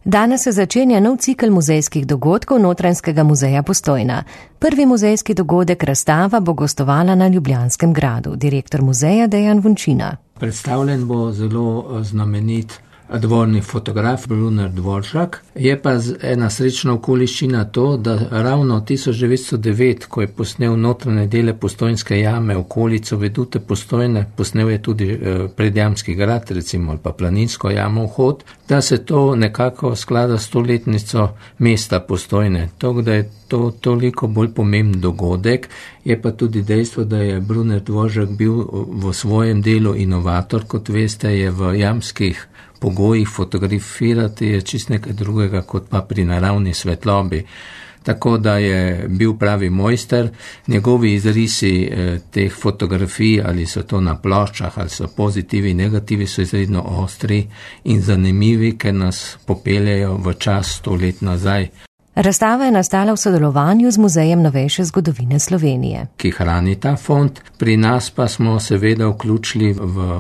Danes se začenja nov cikel muzejskih dogodkov Notranjskega muzeja Postojna. Prvi muzejski dogodek razstava bo gostovala na Ljubljanskem gradu. Direktor muzeja Dejan Vončina. Predstavljen bo zelo znamenit dvorni fotograf Bruner Dvoržak. Je pa ena srečna okoliščina to, da ravno 1909, ko je posnel notranje dele Postojnske jame, okolico vedute Postojne, posnel je tudi Predjamski grad, recimo, ali pa Planinsko jamo Vhod, da se to nekako sklada s stoletnico mesta Postojne. To, da je to toliko bolj pomemben dogodek, je pa tudi dejstvo, da je Bruner Dvoržak bil v svojem delu inovator, kot veste, je v jamskih pogojih fotografirati je čist nekaj drugega kot pa pri naravni svetlobi. Tako da je bil pravi mojster. Njegovi izrisi teh fotografij, ali so to na ploščah, ali so pozitivi, negativi, so izredno ostri in zanimivi, ker nas popeljejo v čas 100 let nazaj. Razstava je nastala v sodelovanju z Muzejem novejše zgodovine Slovenije, ki hrani ta fond. Pri nas pa smo seveda vključili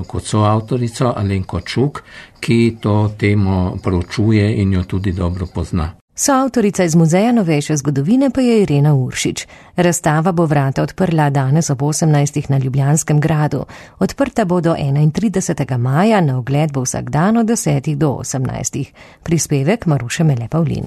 kot soavtorico Alenko Čuk, ki to temo proučuje in jo tudi dobro pozna. Soavtorica iz Muzeja novejše zgodovine pa je Irena Uršič. Razstava bo vrata odprla danes ob 18. na Ljubljanskem gradu. Odprta bo do 31. maja, na ogled bo vsak dan od 10. do 18. Prispevek Maruše Mele Pavlin.